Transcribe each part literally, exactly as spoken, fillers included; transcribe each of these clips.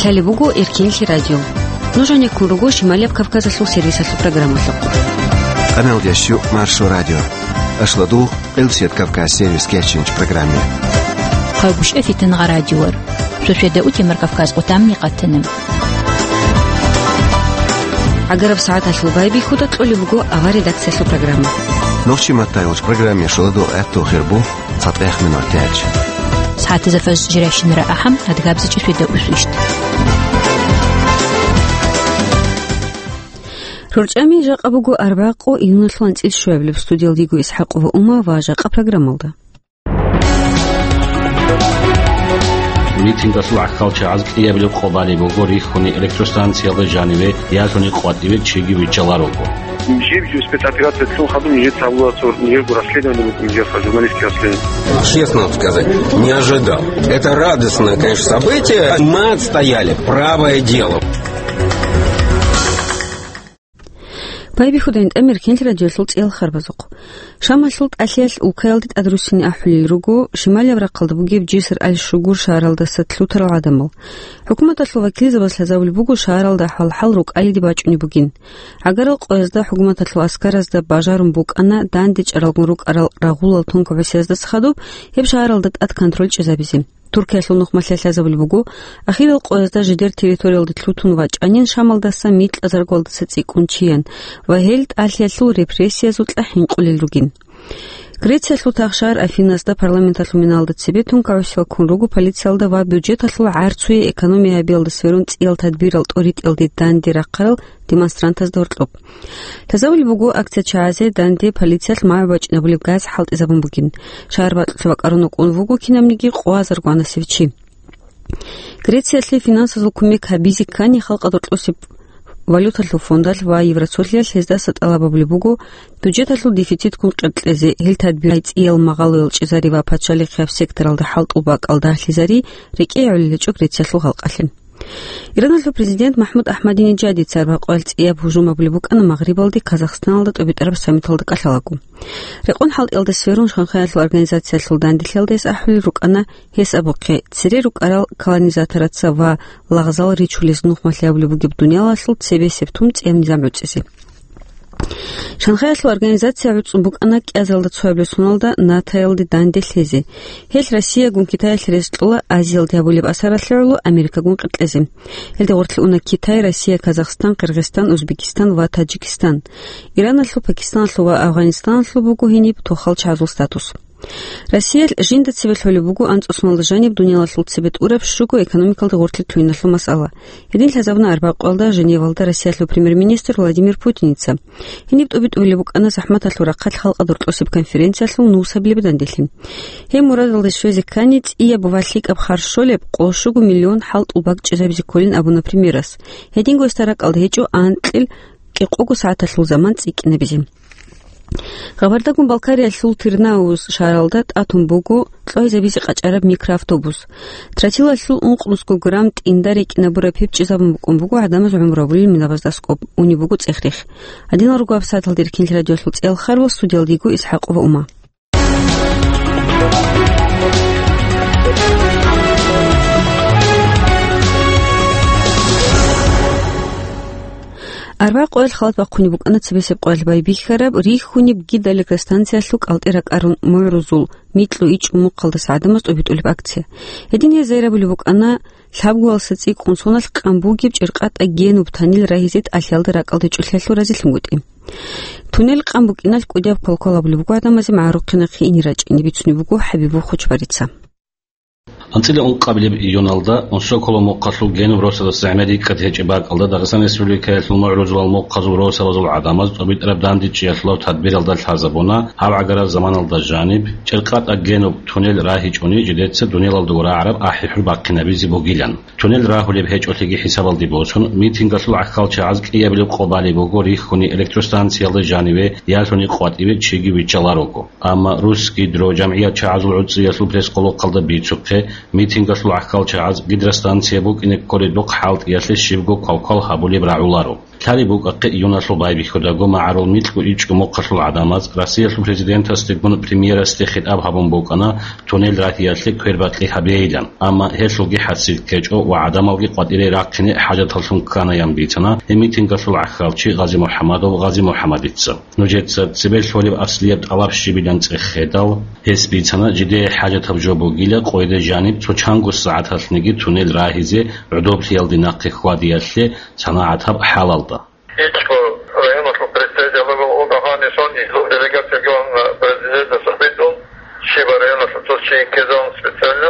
Лъалеб буго Эркенлъи радио. Нуж гьанеккун руго Шималияб Кавказалъул сервисалъул программалъухъ. Къаналдияс щу Маршо радио. Ашладул Къилсият Кавказ сервис кечинч программе. Хъавбушев Фитангъа радиор. Сосведа утемар Кавказ къутамни къатана. Агараб сагӀаталъул байбихьуда кьолеб буго авар редакциялъул программа. Нохчи маттайулч программе шуладул гӀатту хирбу. ЦатӀехъ минут тяч. СагӀатазда фаз жиращинара ахӀам, адгабзичӀи светаусвищ. РорчӀами жакъа буго арбякъо июналъул анцӀил щуабилеб. Студиялдиго ИсхӀакъова Ума ва жакъа программалда. Митингасул гӀахьалчагӀаз кӀиябилеб къо балеб буго рихьуни электростанциялда жаниве ялъуни къватӀиве чиги виччаларого. Жиб-жиб спецоперация цун хадуб нижеца гьабуларо, нижерго расследование букӀун, нижеца журналистский расследование. Честно вам сказать, не ожидал. Это радостное, конечно, событие. Мы отстояли правое дело. Байбихьуда ин тӀамир Эркенлъи радиоялъул цӀиял харбазухъ. Шамалъул тӀалъиялъ улкаялде тӀадруссине ахӀулел руго шималияб рахъалда бугеб Жиср аль-Шугур шагьаралдаса лъутарал гӀадамал. ХӀукуматалъул вакилзабаз лъазабулеб буго шагьаралда хӀалхӀал рукӀалиде бачӀунеб бугин. ГӀагарал къоязда хӀукуматалъул аскаразда бажарун букӀана дандечӀаралгун рукӀарал рагъулал тункабасияздаса хадуб гьеб шагьаралда тӀад контроль чӀезабизе. Туркиялъул нухмалъ лъазабулеб буго, ахирал къоязда жидер территориялде лъутун вачӀанин Шамалдаса микьазаргуялдаса цӀикӀкӀун чиян ва гьел тӀалъиялъул репрессиязукьа хӀинкъулел ругин. Грециялъул тахшар Афинасда парламенталъул миналда цебе тункагӀуси ваккун руго полициялда ва бюджеталъул гӀарцуе экономия гьабиялда сверун цӀиял тадбирал тӀоритӀиялде данде рахъарал демонстрантазда гьоркьоб. Лъазабулеб буго акция чагӀазе данде полициялъ магӀу бачӀинабулеб газ хӀалтӀизабун бугин. Шагьар бакьулъ бакӀарун вукӀун вуго кинабниги къоязаргванасев чи. Грециялъе финансазул кумек гьабизе ккани, халкъа доркьосеб валюталъул фондалъ ва Евросолъиялъ гьездаса тӀалаб гьабулеб буго бюджеталъул дефицитгун къеркьезе, гьел тадбирай цӀиял магъалоял чӀезари ва пачалихъияб секторалда хӀалтӀул бакӀал дагьлъизари рекӀее гӀолел гьечӀо Грециялъул халкъалъе. Ираналъул президент МахӀмуд Ахмадинеджадица арбякъоялъ цӀияб гьужум гьабулеб букӀана Магърибалде Казахстаналда тӀобитӀараб саммиталда кӀалъалаго. Рекъон хӀалтӀиялда сверун Шанхаялъул организациялъул данделъиялда гьес ахӀулел рукӀана, гьес абухъе, цере рукӀарал колонизатораца ва лагъзал ричулез нухмалъи гьабулеб бугеб дуниялалъул цебесеб тун цӀияб низам гӀуцӀизе. Шанхаялъул организация гӀуцӀун букӀана кӀиазалда цоябилеб соналда НАТОялде данде лъезе. Гьелъ Россиягун Китаялъе рес кьола Азиялде гьабулеб асаралъе гӀоло Америкагун къеркьезе. Гьелде гъорлъе уна Китай, Россия, Казахстан, Къиргъизстан, Узбекистан ва Таджикистан. Ираналъул, Пакистаналъул ва Афганистаналъул буго гьениб тохал чагӀазул статус. Россиялъ жинда цебе лъолеб буго анцӀусуналда жаниб дуниялалъул цебе тӀураб щуго экономикалда гъорлъе лъугьиналъул масъала. Гьедин лъазабуна арбякъоялда Женевалда Россиялъул премьер-министр Владимир Путиница. Гьениб тӀубитӀулеб букӀана захӀматалъул рахъалъ халкъа доркьосеб конференциялъул нусабилеб данделъи. Гьеб мурадалде щвезе ккани, цӀияб ва лъикӀаб харж щолеб къо щуго миллион хӀалтӀул бакӀ чӀезабизе кколин абуна премьерас. Гьединго гьесда ракӀалда гьечӀо анкьил кӀикъого сагӀаталъул заман цӀикӀкӀинабизе. Гъабардагун Балкариялъул Тырнауз шагьаралда тӀатун буго кьвайзабизе къачӀараб микроавтобус. Тротилалъул ункънусго грамм тӀинда рекӀинабураб гьеб чӀезабун букӀун буго гӀадамаз гӀумру гьабулел минабазда аскӀоб, унеб буго цӀех-рех. Гьадинал руго гьабсагӀаталда Эркенлъи радиоялъул цӀиял харбал, студиялда йиго ИсхӀакъова Ума. Арбякъоялъ халат бахъунеб букӀана цебесеб къоялъ байбихьараб рихьунеб гидроэлектростанциялъул кӀалтӀи ракӀарун мугӀрузул микьу ичӀу мухъалдаса гӀадамаз тӀубитӀулеб акция. Гьедин гьез гьайрабулеб букӀана лъабгоялдаса цӀикӀкӀун соналъ къан бугеб ЧӀиркъатӀа Генуб туннел рагьизе тӀалъиялда ракӀалде чӀолъиялъул разилъунгутӀи. Туннел къан букӀиналъ кӀудияб квалквал гьабулеб буго гӀадамазе магӀарухъе нахъе ине рачӀине, бицунеб буго ХӀабибов Хочбарица. АнцӀила ункъабилеб июналда Унсоколо мухъалъул Генуб росабаз зегӀмерикӀкӀад гьечӀеб бакӀалда Дагъистан Республикаялъул мугӀрузулал мухъазул росабазул гӀадамаз тӀубитӀараб дандечӀиялъулаб тадбиралда лъазабуна, гьаб гӀагарал заманалда жаниб, ЧӀиркъатӀа Генуб туннел рагьичӀони жидеца дуниялалдаго рагӀараб ахӀи-хӀур бахъинабизе бугилан. Туннел рагьулеб гьечӀолъиги хӀисабалде босун, митингалъул гӀахьалчагӀаз кӀиябилеб къо балеб буго рихьуни электростанциялда жаниве ялъуни къватӀиве чиги виччаларого. Амма Русгидро жамгӀият чагӀазул гӀуцӀиялъул пресс-къолохъалда бицухъе, митингалъул гӀахьалчагӀаз гидростанция букӀине кколедухъ хӀалтӀиялъе щибго квалквал гьабулеб рагӀуларо. Лъалеб букӀахъе июналъул байбихьудаго магӀарул микьго ичӀго мухъалъул гӀадамаз Россиялъул президентасдегун премьерасде хитӀаб гьабун букӀана туннел рагьиялъе квербакьи гьабейилан, амма гьелъулги хӀасил ккечӀо ва гӀадамалги къватӀире рахъине хӀажаталлъун кканаян бицана гьеб митингалъул гӀахьалчи Гъази-МухӀамадов Гъази-МухӀамадица. Нужеца цебе лъолеб аслияб тӀалаб щибилан цӀехедал, гьес бицана жидее хӀажатаб жо бугила къойде жаниб цо чанго сагӀаталъниги туннел рагьизе гӀодоблъиялде нахъе хьвадиялъе санагӀатаб хӀалалда. ИчӀго районалъул представитель вуго, гьаниб сон излъун делегациялъ гьавун президентасда хӀалтӀун, щибаб районалъул цо чи ккезавун специально,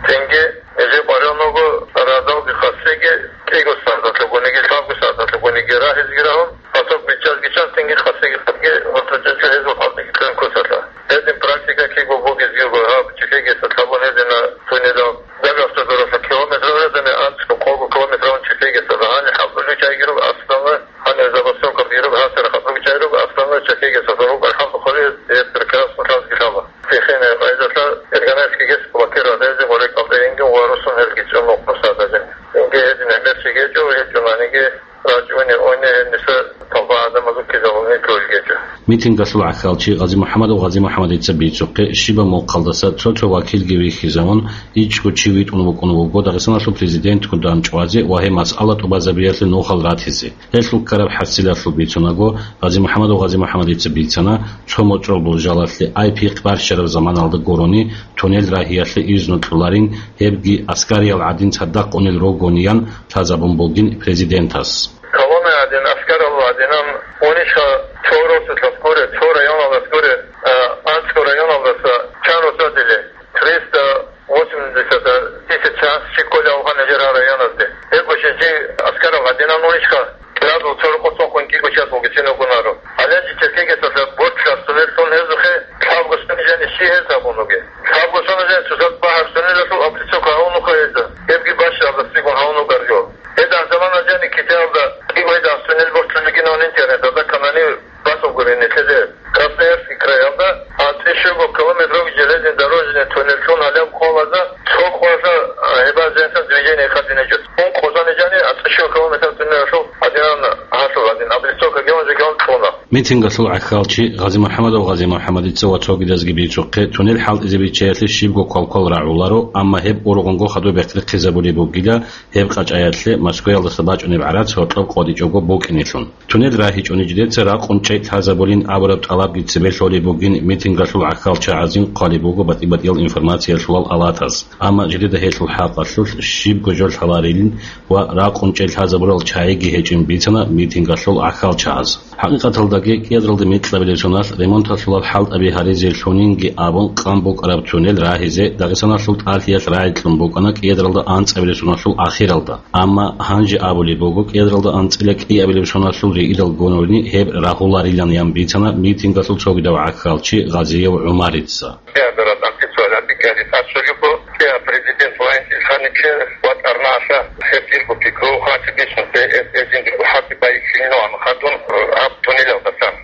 тенге нижер къваригӀун вуго радалги хасиги кӀиго сагӀаталъугониги, лъабго сагӀаталъугониги рагьизеги рагьун, гьасул бичӀчӀазги чӀун, тенге хасиги хадги гьоркьоб чӀечӀо гьезул хӀалтӀиги кьун ккусалъа. Гьедин практика киго бугезги буго, гьаб чилъегиясда лъабун гьедина туннелал. Дагъ автодоралъа километрал гӀадамал анцӀго-къого километралъун чилъегиясда гьаниб хӀалтӀулев чагӀиги руго, аслан гьанир забастовка бираб гьасира хадуб чагӀи руго, аслан чилъегиясда руго, алхӀамдулиллагь, гьеб прекрасно лъазги лъала. Цехине къайдалъа Эрганайский ГЭС блокировать гьабизе гъорекъалда инги ва росун гьелги цӀунухъ мусадазин. Инги гьедин гӀемерчи гьечӀо, гьечӀонаниги рачӀуни, ойни гьениса толба гӀадамазул ккезабуни кколгечӀо. Митингалъул гӀахьалчи Гъази-МухӀамадов Гъази-МухӀамадица бицухъе, щибаб мухъалдаса цо-цо вакилги вихьизавун, ичӀго чи витӀун вукӀун вуго Дагъистаналъул президентгун дандчӀвазе ва гьеб масъала тӀубазабиялъе нухал ратизе. Гьелъул ккараб хӀасилалъул бицунаго, Гъази-МухӀамадов Гъази-МухӀамадица бицана, цо мочӀрол буржалалъе ай пихъ барщараб заманалда гурони, туннел рагьиялъе изну кьоларин, гьебги аскариял гӀадин цадахъ унел ругониян лъазабун бугин президентас. Колонна гӀадин, аскарал гӀадинан унищха цо росулъас гуре, цо районалдас гуре, а, анцӀго районалдаса чан росадиле, триста восемьдесят тысяч час щикколев вугин нижер гьал районазде. Гьеб гьечӀин чи аскарал гӀадинан унищха кӀиразул цо рокъоб цӀунхъун кӀиго час вугицин вугонаро. Гьале чи чилъегиясда борчлъи сунел лъун гьезухъе лъабго сунел жани щи гьез гьабун вугеб? Лъабго сунел жани цоцазда багьараб сунелалъул облицовка гьавун вуха гьезда. Гьебги бащдаб гӀадасдегун гьавун вугарго. Гьедин замана жани Китаялда кӀиго гьедин сунел борчлъун бугинавун интернеталда канани басулгурин нилъеде. Красноярский краялда анцӀила щуго километров железнодорожный туннел лъун гьалеб къоялда цо къоялъа, а, гьеб жинца движение хадинечӀо. Ункъо зани жани анцӀила щуго километр туннелалъул гьадинан гьалъул гьадин облицовка гьавун жо гьавун кьуна. Митингалъул гӀахьалчи Гъази-МухӀамадов Гъази-МухӀамадица ва цогидазги бицухъе, туннел хӀалтӀизе биччаялъе щибго квалквал рагӀуларо, амма гьеб ургъунго хадуб бехъерхъизабулеб бугила, гьеб къачӀаялъе Москваялдаса бачӀунеб гӀарац гьоркьоб къотӀичӀого букӀинелъун. Туннел рагьичӀони жидеца ракъун чӀей лъазабулин абураб тӀалабги цебе лъолеб бугин митингалъул гӀахьалчагӀазин хъвалеб буго батӀи-батӀиял информациялъулал алатаз. Амма жидеда гьелъул хӀакъалъулъ щибго жо лъаларилин ва ракъун чӀей лъазабурал чагӀиги гьечӀин бицана митингалъул гӀахьалчагӀаз. ХӀакъикъаталдаги, кӀиязралда микьабилеб соналъ ремонталъулал хӀалтӀаби гьаризе лъунинги абун къан букӀараб туннел рагьизе Дагъистаналъул ТӀалъиялъ рагӀи кьун букӀана кӀиязралда анцӀабилеб соналъул ахиралда. Амма гьанже абулеб буго, кӀиязралда анцӀила кӀиабилеб соналъул риидал гурони гьеб рагьуларилан, ян бицана митингалъул цогидав гӀахьалчи Гъазиев ГӀумарица. КӀиабилеб анцӀила кӀиабилеб тӀад щолеб буго, кӀиаб президент ваинчӀел ханиче ватӀарнаса гьеб дирго пикру хъанчи бицунзе эс-, эзинги хӀакъи байихьилин ван хадун гьаб туннелалдасан.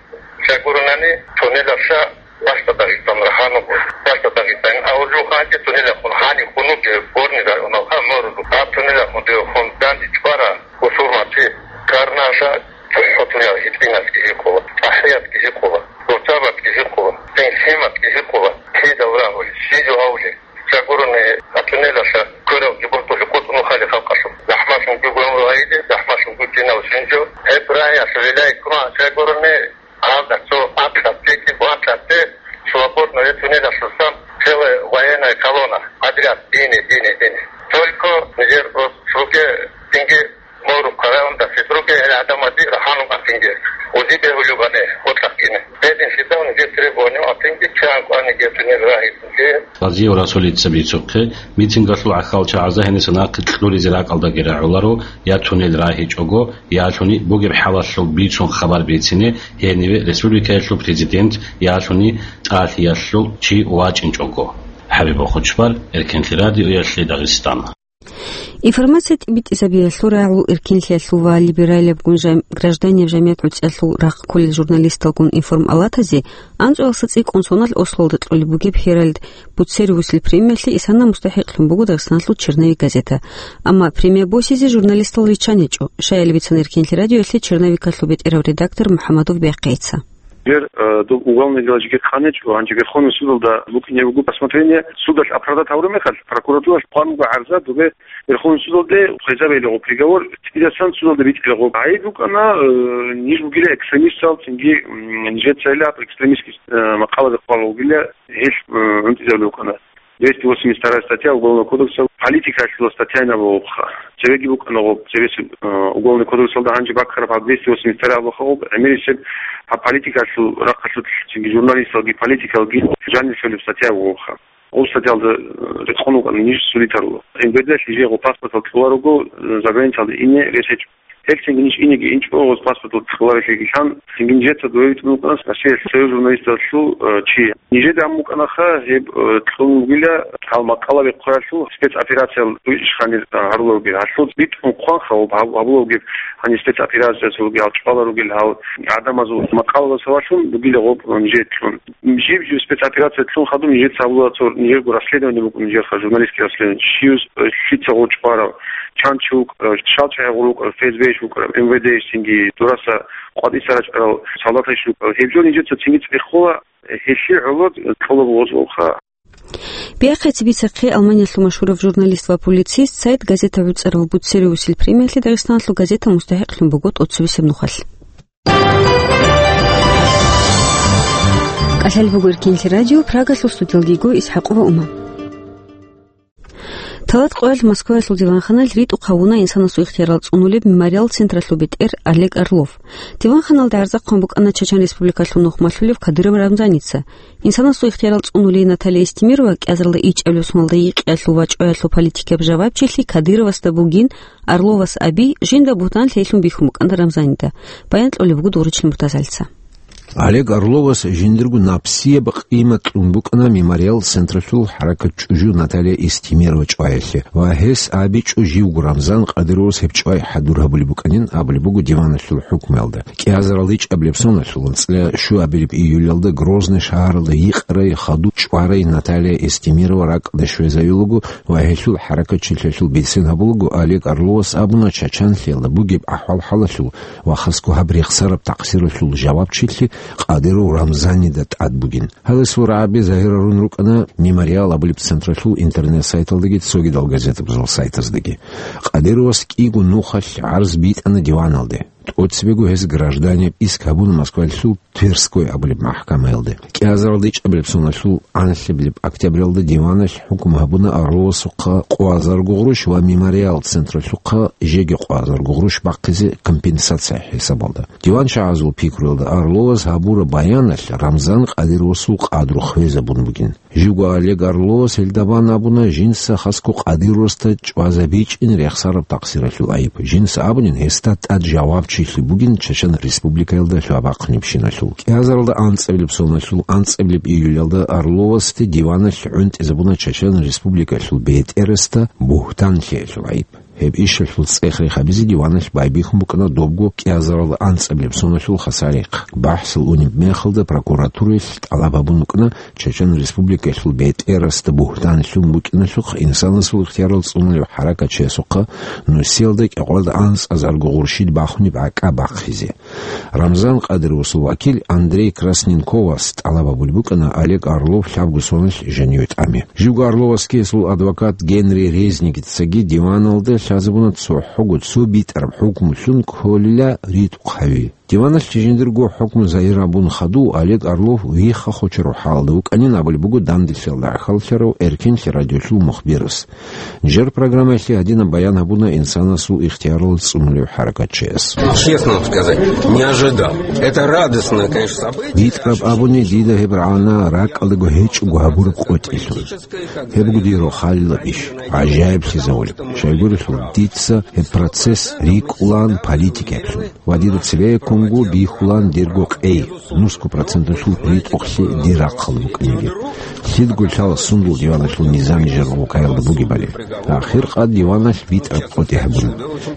Щай гуронани, туннелалъа Бащда Дагъистан рахана буго. Бащда Дагъистан авулев ханчи туннелалъун гьанив хун вугев Горный районалъа морулу. Гьаб туннелалъун дев хун данде чӀвара бусурманчи карнаса цохӀо туннел гьитӀинасги гьикъула, ТӀахӀиятги гьикъула, Гурцабатги гьикъула, Синсиматги гьикъула. Кидал рагьули, щиб жо гьавули? Щай гурони, а туннелалъа кверал жибуртулъи къутӀун хали халкъалъул. ЗахӀмалъун гугун гьайиде, захӀмалъун гугинав щинчӀо. Гьеб рагьиялъул гӀилла ккун, щай гурони, Гьалда цо анкьаб пеки, анкьаб пе свободно гьечӀунелалъусан целая военная колонна подряд, дине, дине, дине. Только нижер руге цинги мору караунда фитруге гьел гӀадамади раханун атинге. Узи бегьулев гьане, гьоркьахъине. Гьедин лъидал нижер требование атинги, чан кӀвани гьечӀунел рагьи цинги. Гъазиев Расулица бицухъе, митингалъул гӀахьалчагӀазда гьениса нахъе кьуризе ракӀалдаги рагӀуларо, я туннел рагьичӀого, ялъуни бугеб хӀалалъул бицун хабар бицине гьениве республикаялъул президент, ялъуни тӀалъиялъул чи вачӀинчӀого. ХӀабиб Бохучбар, Эркенлъи радиоялъе Дагъистан. Информация тӀибитӀизабиялъул, рагӀул, эркинлъиялъул ва либералиябгун жам-, гражданияб жамият гӀуцӀиялъул рахъ кколел журналисталгун информалатазе анцӀоялдаса цӀикӀкӀун соналъ Ослоялда кьолеб бугеб Херальд буцериусел премиялъе исана мустахӀикълъун буго Дагъистаналъул «Черновик» газета. Амма премия босизе журналистал риччан гьечӀо. Щаяли бицана Эркинлъи радиоялъе черновикалъул бетӀерав редактор МухӀаммадов Бяхъица. Гьер, э, доб уголовный дела жеги хъаничӀо, гьанже Верховный судалда букӀине буго рассмотрение, судалъ оправдать гьавураб мехалъ, прокуратуралъ хъван буго гӀарза, добе Верховный судалде хвезабейилгъо приговор, цӀидасан судалда битӀилгъо. ГӀайиб букӀана, э, ниж бугила экстремистал, цинги, м, нижецайила экстремистский, э, макъалаби хъвала вугила, гьелъ, э, гӀунтӀизабулев вукӀана. Двести восемьдесят вторая статья Уголовного кодекса, политикалъула статьяйин абулебха. Цевеги букӀана гъоб, цевесеб, э, Уголовный кодексалда гьанже баккараб гьаб двести восемьдесят вторая абулха гъоб, гӀемерисеб гьаб политикалъул рахъалъулъ цинги журналисталги политикалги жанир лъолеб статья абулха. Гъоб статьялда, э, рекъон вукӀана ниж судитарула. МВД-лъ жегъо паспортал кьола руго, э, заграницалда ине рес гьечӀо. Гьелъ цинги ниж инеги инчӀо, гъоз паспортал кьоларелъигилъан, цинги нижеца дове витӀун вукӀана Россиялъ союз журналисталъул, э, чи. Нижеда гьабун букӀанаха гьеб, э, кьун бугила гьал макъалаби хъваралъул спецоперация ишхъанир, э, гьарулел ругел. Гьалъул битӀун хъванха гьаб-, гьабулев вугеб гьаниб спецоперация цо ругел, гьал чӀвала ругел, гьал гӀадамазул макъалабаз гьавалъун бугила гъоб, э, нижер кьун. Жиб-жиб спецоперация лъун хадуб нижеца гьабула цо нижерго расследование букӀун нижерха, журналистский расследование. Щив, э, лъица гъов чӀварав, чан чи вукӀарав, э, шалчӀахӀи гъур вукӀарав, ФСБ-ищ вукӀарав, МВД-ищ цинги, дураса къватӀиса рачӀарал солдатайищ вукӀарав. Гьеб жо нижеца цинги цӀехола, э, гьелъие гӀоло кьола гъоз гъовха. Бяхъица бицахъе, Алманиялъул машгьурав журналист ва публицист, сайт газета гӀуцӀарав буцериусел премиялъе Дагъистаналъул газета мустахӀикълъун буго тӀоцебесеб нухалъ. КӀалъал буго Эркинлъи радио, Прагалъул студиялги йиго ИсхӀакъова Ума. Талат къоялъ Москваялъул диванханалъ ритӀухъ гьавуна инсанасул ихтиярал цӀунулеб «Мемориал» централъул бетӀер Олег Орлов. Диванханалда гӀарза хъван букӀана Чачан Республикалъул нухмалъулев Кадыров Рамзаница. Инсанасул ихтиярал цӀунулей Наталья Эстемирова кӀиазаралда ичӀабилеб соналда йикъиялъул ва чӀваялъул политикияб жавабчилъи Кадыровасда бугин, Орловас аби жинда бугьтан лъейлъун бихьун букӀана Рамзанида. Баян кьолеб буго Доручил Муртазалица. Олег Орловас жиндирго напсияб къимат кьун букӀана «Мемориал» централъул хӀаракатчӀужу Наталья Эстемирова чӀваялъе ва гьес абичӀо живго Рамзан Кадыровас гьеб чӀвай хӀадур гьабулеб букӀанин абулеб буго диваналъул хӀукмуялда. КӀиазаралда ичӀабилеб соналъул анцӀила щуабилеб июлялда Грозный шагьаралда йикъарай хадуб чӀварай Наталья Эстемирова ракӀалде щвезавилаго ва гьелъул хӀаракатчилъиялъул бицен гьабулаго Олег Орловас абуна чачанлъиялда бугеб ахӀвал-хӀалалъул ва хасго гьаб рехсараб такъсиралъул жавабчилъи Кадыров Рамзанида тӀад бугин. Гьале сургӀаби загьирарун рукӀана «Мемориал» абулеб централъул интернет-сайталдаги цогидал газетабазул сайтаздаги. Кадыровас кӀиго нухалъ гӀарз битӀана диваналде. ТӀоцебего гьес гражданин иск гьабуна Москвалъул Тверской абулеб махӀкамаялде. КӀиазаралда ичӀабилеб соналъул анлъабилеб октябралда диваналъ хӀукму гьабуна Орловасухъа къоазарго гъурущ ва «Мемориал» централъухъа жеги къоазарго гъурущ бахъизе компенсация хӀисабалда. ДиванчагӀазул пикруялда Орловас гьабураб баяналъ Рамзан Кадыровасул къадру хвезабун бугин. Живго Олег Орловас гьелда бан абуна жинца хасго Кадыровасда чӀвазабичӀин рехсараб такъсиралъул айиб. Жинца абунин гьесда тӀад жавабчилъи бугин Чачан Республикаялда лъугьа-бахъунебщиналъул. КӀиазаралда анцӀабилеб соналъул анцӀабилеб июлялда Орловасде диваналъ гӀунтӀизабуна Чачан Республикалъул бетӀерасда бугьтан лъеялъул айиб. Гьеб ишалъул цӀех-рех гьабизе диваналъ байбихьун букӀана добго кӀиазаралда анцӀабилеб соналъул хасар-рехъ. БахӀсил унеб мехалда прокуратураялъ тӀалаб гьабун букӀана Чачан Республикалъул бетӀерасда бугьтан лъун букӀиналъухъ инсанасул ихтиярал цӀунулев хӀаракатчиясухъа нусиялда кӀикъоялда анцӀазарго гъурщид бахунеб гӀакӀа бахъизе. Рамзан Кадыровасул вакил Андрей Красненковас тӀалаб гьабулеб букӀана Олег Орлов лъабго соналъ жаниве тӀаме. Живго Орловасги гьесул адвокат Генри Резникицаги диваналда лъазабуна цохӀого цо битӀараб хӀукму лъун кколила ритӀухъ гьави. Диваналъ жиндирго хӀукму загьир гьабун хадув Олег Орлов вихха-хочарав хӀалалда вукӀанин абулеб буго данделъиялда гӀахьаллъарав Эркинлъи радиолъул мухбирас. Нижер программаялъе гьадинаб баян гьабуна инсанасул ихтиярал цӀунулев хӀаракатчияс. Честно вам сказать, не ожидал. Это радостное, конечно, событие. БитӀараб абуни, дида гьеб рагӀана ракӀалдаго гьечӀого гьабураб къотӀилъун. Гьеб буго дир рохалилаб иш, гӀажаиблъизавулеб. Щайгурелъул, дица гьеб процесс рикӀкӀулаан политикаялъул. Ва дида цебеккун Унго бихьулан дирго къей, нусго проценталъул ритӀухълъи дир рахъалда букӀиниги. Лъидго лъала сундул диваналъул низам нижер гъукаялда бугебали. Ахир къад диваналъ битӀараб къотӀи гьабуна.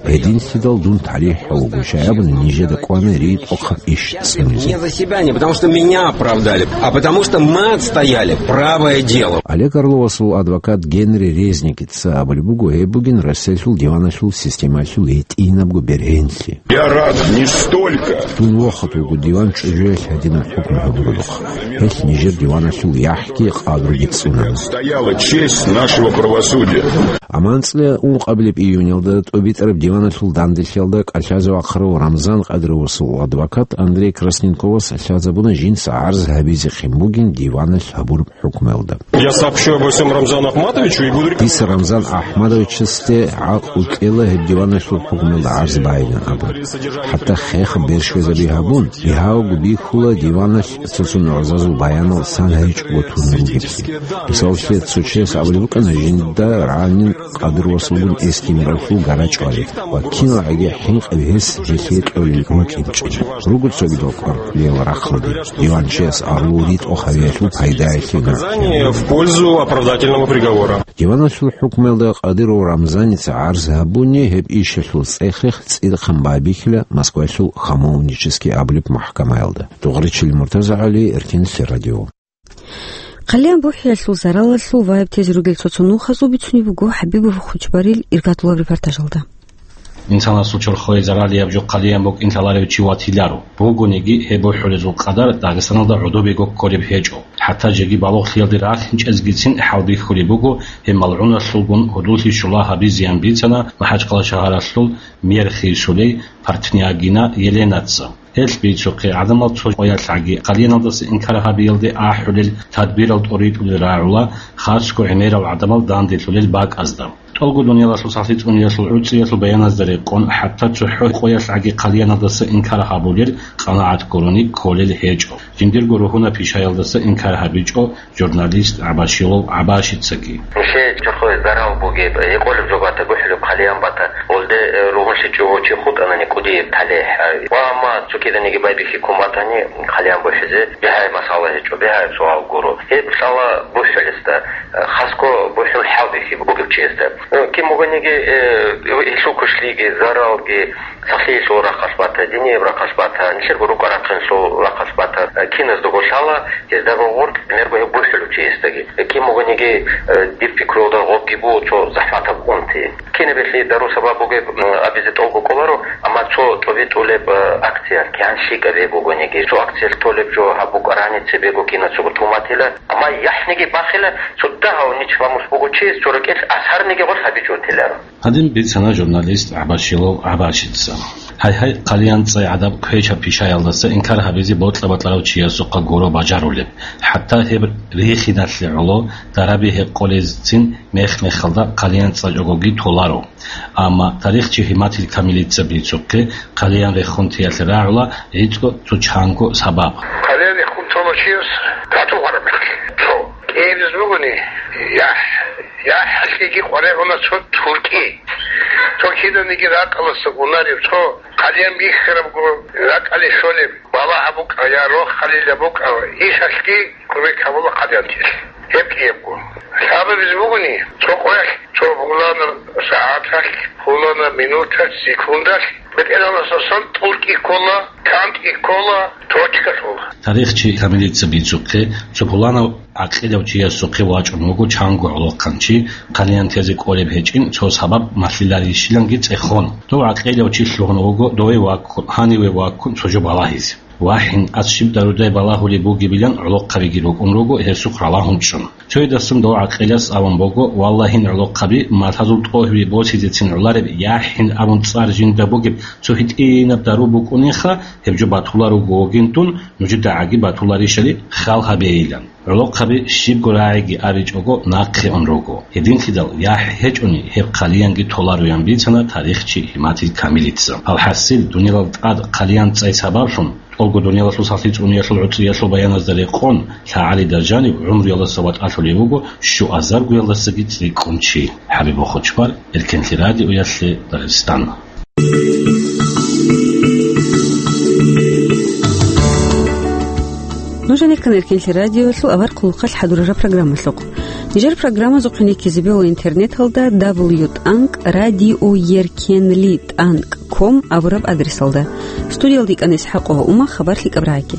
Гьединлъидал дун талихӀ гьавуго, щай абуни нижеда кӀвана ритӀухъаб иш цӀунизе. Не за себя, не потому что меня оправдали, а потому что мы отстояли правое дело. Олег Орловасул адвокат Генри Резник ца абулеб буго, гьеб бугин Россиялъул диваналъул системалъул гьитӀинабго бергьенлъи. Я рад не столько. Дун вохат вуго диван чӀужуялъ гьадинаб хӀукму гьабуралухъ. Гьелъ нижер диваналъул яхӀги къадруги цӀунана. Стояла честь нашего правосудия. Амма анцӀила ункъабилеб июньалда тӀубитӀараб диваналъул данделъиялда кӀалъазе вахъарав Рамзан Къадировасул адвокат Андрей Красненковас лъазабуна жинца гӀарз гьабизехъин бугин диваналъ гьабураб хӀукмуялда. Я сообщу обо всём Рамзану Ахматовичу и буду рекомендовать. Дица Рамзан Ахмадовичасде гӀакълу кьела гьеб диваналъул хӀукмуялда гӀарз байилан абун. ХӀатта хех бершвезаби гьабун, бигьаго бихьула диваналъ цо-цо нугӀзазул баянал сан гьайичӀого тун ругеблъи. Мисалалъе, цо чияс абулеб букӀана жинда ранен Къадировасулгун эс-гьимералъул гарачӀварид ва киналгӀаги хӀинкъи гьес гьелъие кьолел рукӀинчӀин. Руго цогидал кӀвар кьолел рахъалде, диванчияс агьлу ритӀухъ гьавиялъул пайдаялъе нугӀлъи. Показания в пользу оправдательного приговора. Диваналъул хӀукмуялда Къадиров Рамзаница гӀарз гьабуни, гьеб ишалъул цӀех-рех цӀидахъан байбихьила Москвалъул Хамовнический абулеб махӀкамаялда. Дугъричил Муртазагьали, Эркенлъи радио. Хъалиян бухӀиялъул заралалъул ваяб тезе ругел цо-цо нухазул бицунеб буго ХӀабибов Хучбарил иргатулаб репортажалда. Инсанасул чорхое заралияб жо хъалиян букӀин лъаларев чи ватиларо. Бугониги, гьеб бухӀулезул къадар Дагъистаналда гӀодобего кколеб гьечӀо. ХӀатта жеги балугълъиялде рахинчӀезгицин хӀалбихьулеб буго, гьеб малгӀуналъулгун гьудуллъи щула гьабизеян бицана МахӀачхъала шагьаралъул мэр Хисулей Партнягина Еленаца. Гьелъ бицухъе, гӀадамал цо къоялъгӀаги хъалияналдаса инкар гьабиялде ахӀулел тадбирал тӀоритӀулел рагӀула, хасго гӀемерал гӀадамал данделъулел бакӀазда. ТӀолго дуниялалъул сахлъи цӀуниялъул гӀуцӀиялъул баяназда рекъон, хӀатта цохӀо къоялъгӀаги хъалияналдаса инкар гьабулел къанагӀат гурони кколел гьечӀо. Жиндирго ругьунаб пишаялдаса инкар гьабичӀо журналист ГӀабашилов ГӀабашицаги. Нилъее чорхое зарал бугеб, гьекъолеб жо бата, гухӀулеб хъалиян бата, гьелде, э, ругьунлъичӀого чи хутӀанани кӀудияб талихӀ. Ва амма цо киданиги байбихьи ккун батани, хъалиян бухӀизе бигьаяб масъала гьечӀо, бигьаяб суал гуро. Гьеб лъала бухӀулесда, э, хасго бухӀул хӀалбихьи бугеб чиясда. Э, кин бугониги, э, гьелъул кушлъиги, заралги, сахлъиялъул рахъалъ бата, динияб рахъалъ бата, нилъерго рукӀа-рахъиналъул рахъалъ бата, э, киназдаго лъала, гьездаго гъоркь гӀемерго гьеб бухӀулев чиясдаги. Э, кин бугониги, э, дир пикруялда гъобги буго цо захӀматаб унти. Кинаб гьелъие дару-сабаб бугеб, м, абизе тӀолго кӀоларо, амма цо тӀубитӀулеб, э, акция, кигӀан щикӀаб гьеб бугониги, цо акциялъ толеб жо гьаб букӀарани цебего кинацаго туматила, амма яхӀниги бахила, цо дагьав нич ламус буго чияс цо рекӀелъ асарниги гъорлъ гьабичӀого теларо. Гьадин бицана журналист ГӀабашилов ГӀабашица. Гьай-гьай, хъалиян цӀай гӀадаб квешаб пишаялдаса инкар гьабизе бокьа-бокьарав чиясухъа гуро бажарулеб. ХӀатта гьеб рихиналъе гӀоло дараби гьекъолезцин мех-мехалда хъалиян цӀачӀогоги толаро. Амма тарихчи Гьиматил Камилица бицухъе, хъалиян рехун теялъе рагӀула гӀицӀго цо чанго сабаб. Хъалиян рехун тола чияс тату гьараб мехалъ, цо кӀиабиз бугони, яхӀ, яхӀалъеги къваригӀуна цо туркӀи. Цо киданиги ракӀалдаса унарев, цо хъалиян бихьарабго ракӀалде щолеб, балагь букӀа я рохалила букӀа, ишалъги кумек гьабула хъалиянтилъ. Гьеб кӀиябго. Лъабабизе бугони, цо къоялъ, цо пуланаб сагӀаталъ, пуланаб минуталъ, секундалъ, БетӀергьанасдасан тӀуркӀи ккола, кантӀи ккола, точка лъула. Тарихчи Камилица бицухъе, цо пуланав гӀакъилав чиясухъе вачӀун вуго чанго гӀолохъанчи, хъалиянтазе кӀолеб гьечӀин цо сабаб малъиларищиланги цӀехон. Дов гӀакъилав чи лъугьун вуго дове ваккун, гьаниве ваккун цо жо балагьизе. ВахӀин, ас щиб дарудай балагьулеб бугебилан гӀолохъабиги рукӀун руго гьесухъ ралагьун чӀун. Цоядасан дов гӀакъилас абун буго, валлагьин, гӀолохъаби, малъазул тӀогьби босизецин гӀолареб яхӀин абун цӀар жинда бугеб цо гьитӀинаб дару букӀунеха, гьеб жо батуларуго вугин дун, нужеда гӀаги батуларищали хал гьабейилан. ГӀолохъаби щибго рагӀиги абичӀого нахъе ун руго. Гьединлъидал яхӀ гьечӀони гьеб хъалиянги толароян бицана тарихчи Гьиматил Камилица. АлхӀасил, дунялал тӀад хъалиян цӀай сабаблъун, тӀолго дуниялалъул сахлъи цӀуниялъул гӀуцӀиялъул баяназда рекъон, лъагӀалида жанив гӀумруялдаса ватӀалъулев вуго щуазаргоялдасаги цӀикӀкӀун чи. ХӀабиб Хучбар, Эркенлъи радиоялъе, Дагъистан. Нуж гьанир ккана Эркенлъи радиоялъул авар хъулухъалъ хӀадурараб программалъухъ. Нижер программазухъе ккезе бегьула интернеталда дабл ю тӀанкӀ радио еркенли тӀанкӀ ком абураб адресалда. Студиялда йикӀана ИсхӀакъова Ума, хабар лъикӀаб рагӀаги.